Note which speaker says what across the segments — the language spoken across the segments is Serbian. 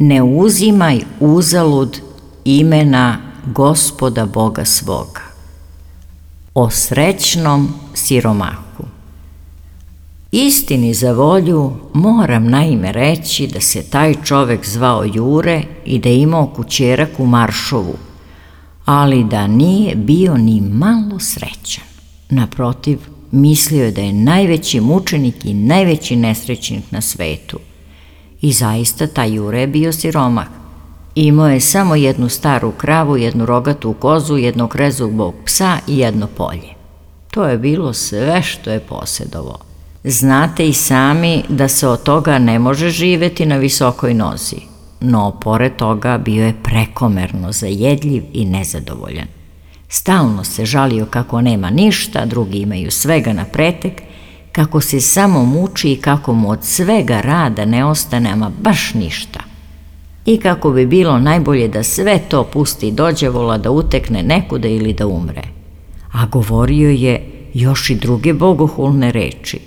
Speaker 1: Ne uzimaj uzalud imena Gospoda Boga svoga. O srećnom siromahu. Istini za volju moram naime reći da se taj čovek zvao Jure i da je imao kućerak u Maršovu, ali da nije bio ni malo srećan. Naprotiv, mislio je da je najveći mučenik i najveći nesrećnik na svetu. I zaista taj Jure je bio siromah. Imao je samo jednu staru kravu, jednu rogatu kozu, jednog rezubog psa i jedno polje. To je bilo sve što je posedovao. Znate i sami da se od toga ne može živeti na visokoj nozi, no pored toga bio je prekomerno zajedljiv i nezadovoljan. Stalno se žalio kako nema ništa, drugi imaju svega na pretek, kako se samo muči i kako mu od svega rada ne ostane ama baš ništa. I kako bi bilo najbolje da sve to pusti dođevola, da utekne nekuda ili da umre. A govorio je još i druge bogohulne reči.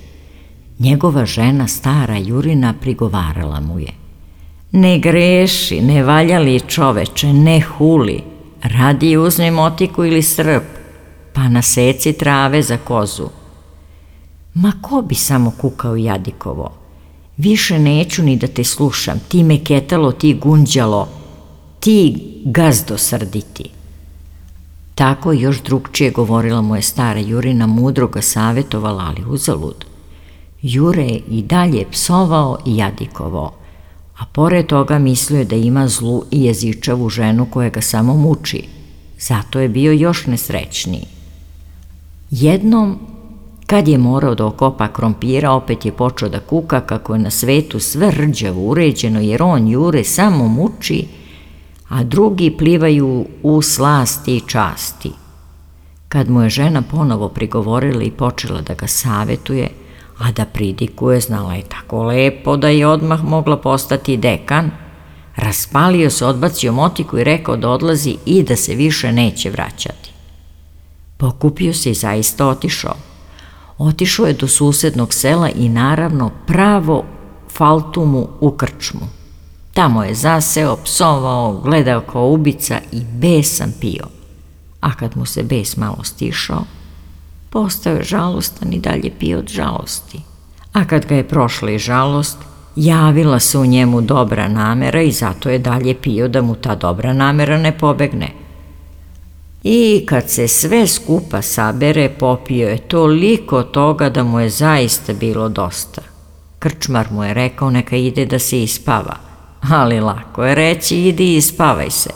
Speaker 1: Njegova žena, stara Jurina, prigovarala mu je: ne greši, ne valjali čoveče, ne huli, radije uzmi motiku ili srp, pa naseci trave za kozu. Ma ko bi samo kukao jadikovo, više neću ni da te slušam, ti meketalo, ti gunđalo, ti gazdo srditi. Tako još drugčije govorila mu je stara Jurina, mudro ga savjetovala, ali uzalud. Jure je i dalje psovao i jadikovao, a pored toga mislio je da ima zlu i jezičavu ženu koja ga samo muči. Zato je bio još nesrećniji. Jednom, kad je morao da okopa krompira, opet je počeo da kuka kako je na svetu sve rđavo uređeno, jer on Jure samo muči, a drugi plivaju u slasti i časti. Kad mu je žena ponovo prigovorila i počela da ga savetuje, a da pridikuje, znala je tako lepo da je odmah mogla postati dekan, raspalio se, odbacio motiku i rekao da odlazi i da se više neće vraćati. Pokupio se i zaista otišao. Otišao je do susednog sela i naravno pravo faltumu u krčmu. Tamo je zaseo, psovao, gledao kao ubica i besan pio. A kad mu se bes malo stišao, postao je žalostan i dalje pio od žalosti. A kad ga je prošla i žalost, javila se u njemu dobra namera i zato je dalje pio da mu ta dobra namera ne pobegne. I kad se sve skupa sabere, popio je toliko toga da mu je zaista bilo dosta. Krčmar mu je rekao neka ide da se ispava, ali lako je reći idi i ispavaj se.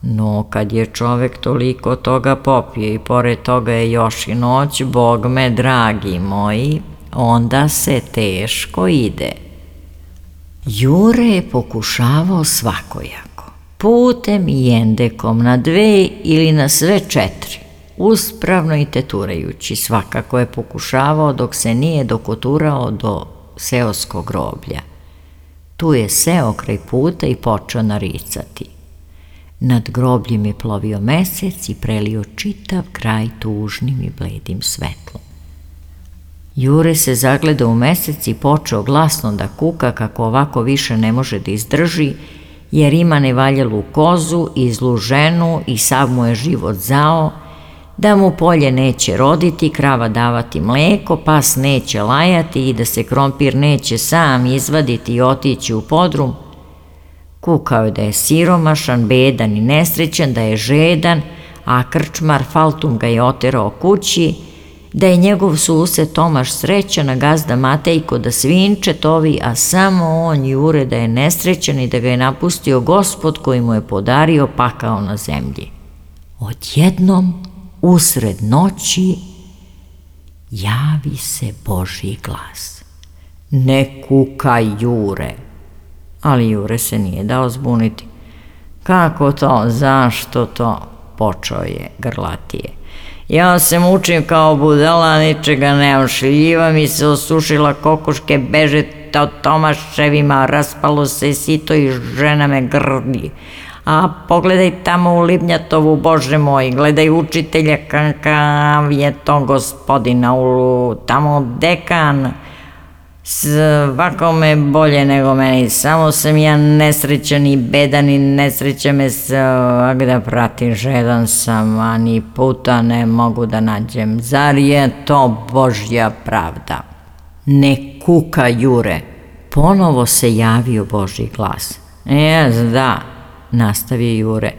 Speaker 1: No kad je čovek toliko toga popio i pored toga je još i noć, Bog me dragi moji, onda se teško ide. Jure je pokušavao svakojako, putem i endekom, na 2 ili na sve 4, uspravno i teturajući, svakako je pokušavao dok se nije dokoturao do seoskog groblja. Tu je seo kraj puta i počeo naricati. Nad grobljem je plovio mesec i prelio čitav kraj tužnim i bledim svetlom. Jure se zagledao u mesec i počeo glasno da kuka kako ovako više ne može da izdrži, jer ima nevaljalu kozu i zlu ženu i sav mu je život zao, da mu polje neće roditi, krava davati mleko, pas neće lajati i da se krompir neće sam izvaditi i otići u podrum. Kukao je da je siromašan, bedan i nesrećan, da je žedan, a krčmar Faltum ga je oterao kući, da je njegov sused Tomaš srećan, a gazda Matejko da svinče tovi, a samo on Jure da je nesrećan i da ga je napustio Gospod koji mu je podario pakao na zemlji. Odjednom, usred noći, javi se Božji glas: ne kukaj, Jure. Ali Jure se nije dao zbuniti. Kako to, zašto to? Počeo je grlatije. Ja se mučim kao budala, ničega nemam, šljiva mi se osušila, kokoške beže Tomaševima, raspalo se sito i žena me grdi. A pogledaj tamo u Libnjatovu, Bože moj, gledaj učitelja, kakav je to gospodina, tamo dekan. Svakome bolje nego meni, samo sam ja nesrećan i bedan i nesreća me svakda prati, žedan sam, a ni puta ne mogu da nađem. Zar je to Božja pravda? Ne kuka, Jure, ponovo se javio Božji glas. Da, nastavio Jure,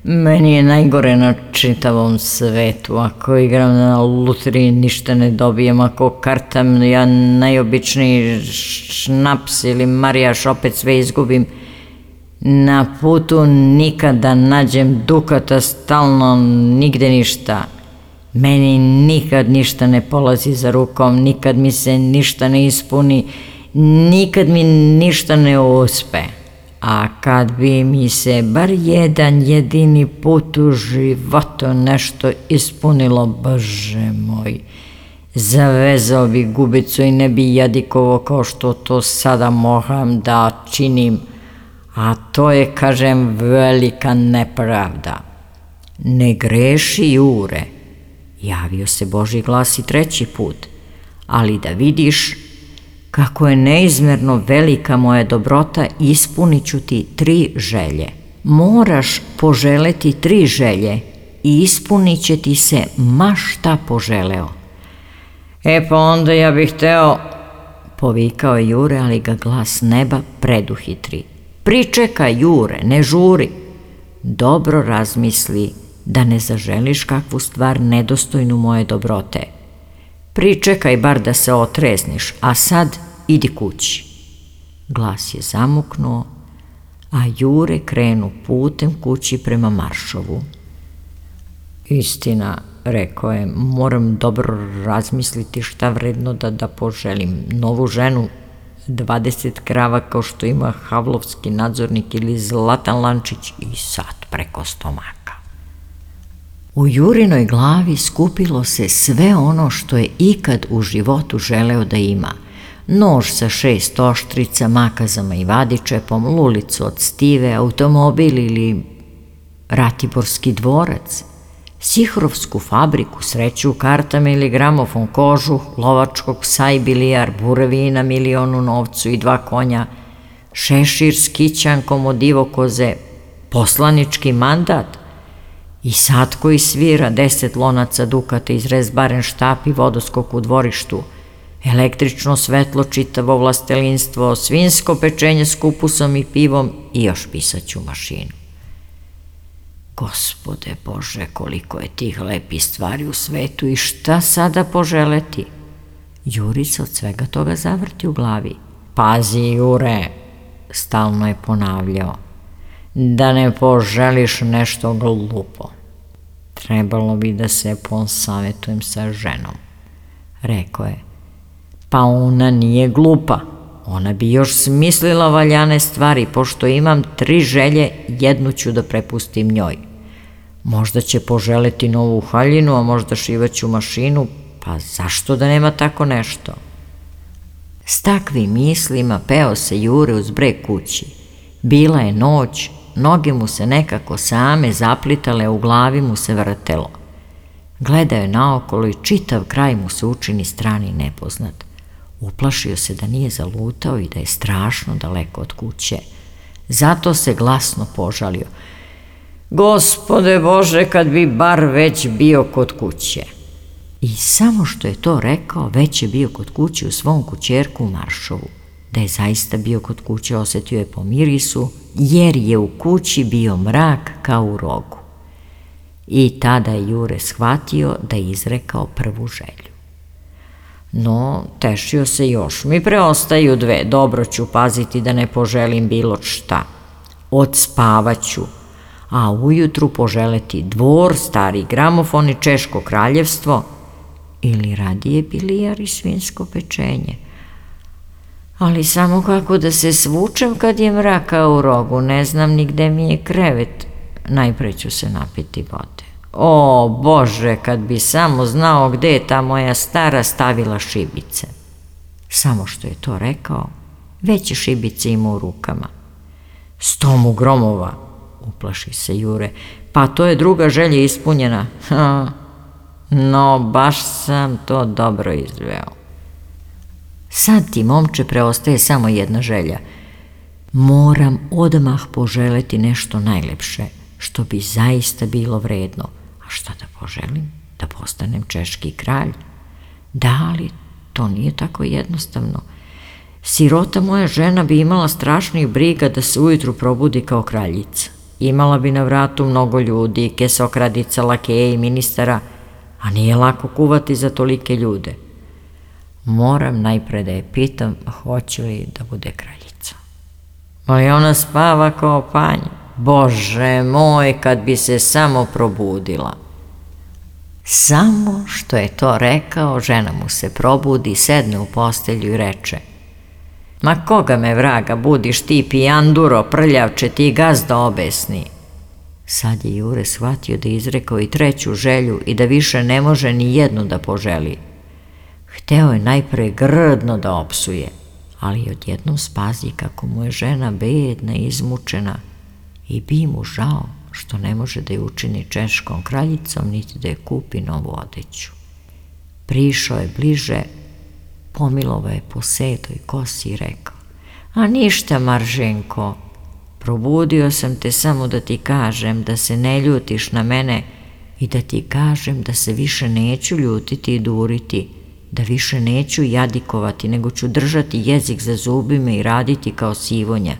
Speaker 1: meni je najgore na čitavom svetu. Ako igram na lutriji ništa ne dobijem, ako kartam ja najobičniji šnaps ili marijaš opet sve izgubim. Na putu nikada nađem dukata, stalno nigde ništa. Meni nikad ništa ne polazi za rukom, nikad mi se ništa ne ispuni, nikad mi ništa ne uspe. A kad bi mi se bar jedan jedini put u životu nešto ispunilo, Bože moj, zavezao bi gubicu i ne bi jadikovo kao što to sada moram da činim, a to je, kažem, velika nepravda. Ne greši, Jure, javio se Božji glas i treći put, ali da vidiš kako je neizmerno velika moja dobrota, ispunit ću ti 3 želje. Moraš poželeti 3 želje i ispunit će ti se ma šta poželeo. Pa onda ja bih hteo, povikao je Jure, ali ga glas neba preduhitri. Pričekaj, Jure, ne žuri. Dobro razmisli da ne zaželiš kakvu stvar nedostojnu moje dobrote. Pričekaj bar da se otrezniš, a sad idi kući. Glas je zamuknuo, a Jure krenu putem kući prema Maršovu. Istina, rekao je, moram dobro razmisliti šta vredno da poželim. Novu ženu, 20 krava kao što ima Havlovski nadzornik ili Zlatan Lančić i sat preko stomaka. U Jurinoj glavi skupilo se sve ono što je ikad u životu želeo da ima. Nož sa 6 oštrica, makazama i vadičepom, lulicu od stive, automobil ili Ratiborski dvorac, Sihrovsku fabriku, sreću u kartama ili gramofon, kožuh, lovačkog psa i bilijar, buravina, milion u novcu i 2 konja, šešir s kićankom od divokoze, poslanički mandat, i sat koji svira, 10 lonaca dukata, izrez barenštap i vodoskok u dvorištu, električno svetlo, čitavo vlastelinstvo, svinjsko pečenje s kupusom i pivom i još pisaću mašinu. Gospode Bože, koliko je tih lepih stvari u svetu i šta sada poželeti? Juri se od svega toga zavrti u glavi. Pazi, Jure, stalno je ponavljao, da ne poželiš nešto glupo. Trebalo bi da se posavetujem sa ženom, rekao je. Pa ona nije glupa, ona bi još smislila valjane stvari, pošto imam 3 želje, jednu ću da prepustim njoj. Možda će poželeti novu haljinu, a možda šivaću mašinu, pa zašto da nema tako nešto? S takvim mislima peo se Jure uz breg kući. Bila je noć, noge mu se nekako same zaplitale, u glavi mu se vrtelo. Gledao je naokolo i čitav kraj mu se učini strani i nepoznat. Uplašio se da nije zalutao i da je strašno daleko od kuće. Zato se glasno požalio. Gospode Bože, kad bi bar već bio kod kuće. I samo što je to rekao, već je bio kod kuće u svom kućerku u Maršovu. Da je zaista bio kod kuće, osetio je po mirisu, jer je u kući bio mrak kao u rogu. I tada je Jure shvatio da je izrekao prvu želju. No, tešio se još. Mi preostaju 2, dobro ću paziti da ne poželim bilo šta. Odspavaću, a ujutru poželeti dvor, stari gramofon i Češko kraljevstvo, ili radije bilijar i svinjsko pečenje. Ali samo kako da se svučem kad je mraka u rogu, ne znam ni gde mi je krevet. Najpre ću se napiti vode. O Bože, kad bi samo znao gde je ta moja stara stavila šibice. Samo što je to rekao, već je šibice imao u rukama. 100 mu gromova, uplaši se Jure, pa to je druga želja ispunjena. No, baš sam to dobro izveo. Sad ti, momče, preostaje samo jedna želja. Moram odmah poželeti nešto najlepše, što bi zaista bilo vredno. A šta da poželim? Da postanem češki kralj? Da, ali to nije tako jednostavno. Sirota moja žena bi imala strašnih briga da se ujutru probudi kao kraljica. Imala bi na vratu mnogo ljudi, kesokradica, lakeja i ministara, a nije lako kuvati za tolike ljude. Moram najpre da je pitam hoće li da bude kraljica. Ali ona spava kao panj. Bože moj, kad bi se samo probudila. Samo što je to rekao, žena mu se probudi, sedne u postelju i reče: Ma koga me vraga budiš ti, pijanduro, prljavče, ti gazda obesni. Sad je Jure shvatio da je izrekao i treću želju i da više ne može ni jednu da poželi. Hteo je najpre grdno da opsuje, ali odjednom spazi kako mu je žena bedna i izmučena i bi mu žao što ne može da je učini češkom kraljicom niti da je kupi novu odeću. Prišao je bliže, pomilovao je po sedoj kosi i rekao: A ništa, Marženko, probudio sam te samo da ti kažem da se ne ljutiš na mene i da ti kažem da se više neću ljutiti i duriti, da više neću jadikovati, nego ću držati jezik za zubima i raditi kao sivonja.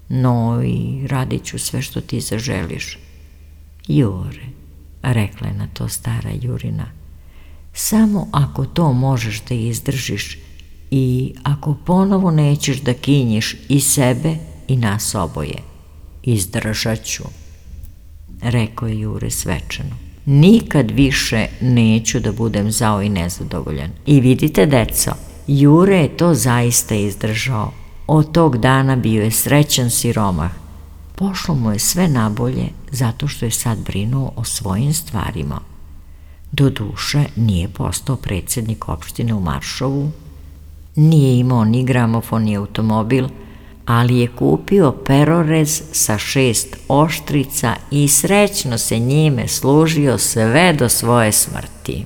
Speaker 1: No i radit ću sve što ti zaželiš. Jure, rekla je na to stara Jurina, samo ako to možeš da izdržiš i ako ponovo nećeš da kinjiš i sebe i nas oboje. Izdržat ću, rekao je Jure svečano. Nikad više neću da budem zao i nezadovoljan. I vidite, deco, Jure je to zaista izdržao. Od tog dana bio je srećan siromah. Pošlo mu je sve nabolje zato što je sad brinuo o svojim stvarima. Doduše, nije postao predsjednik opštine u Maršovu, nije imao ni gramofon ni automobil, ali je kupio perorez sa 6 oštrica i srećno se njime služio sve do svoje smrti.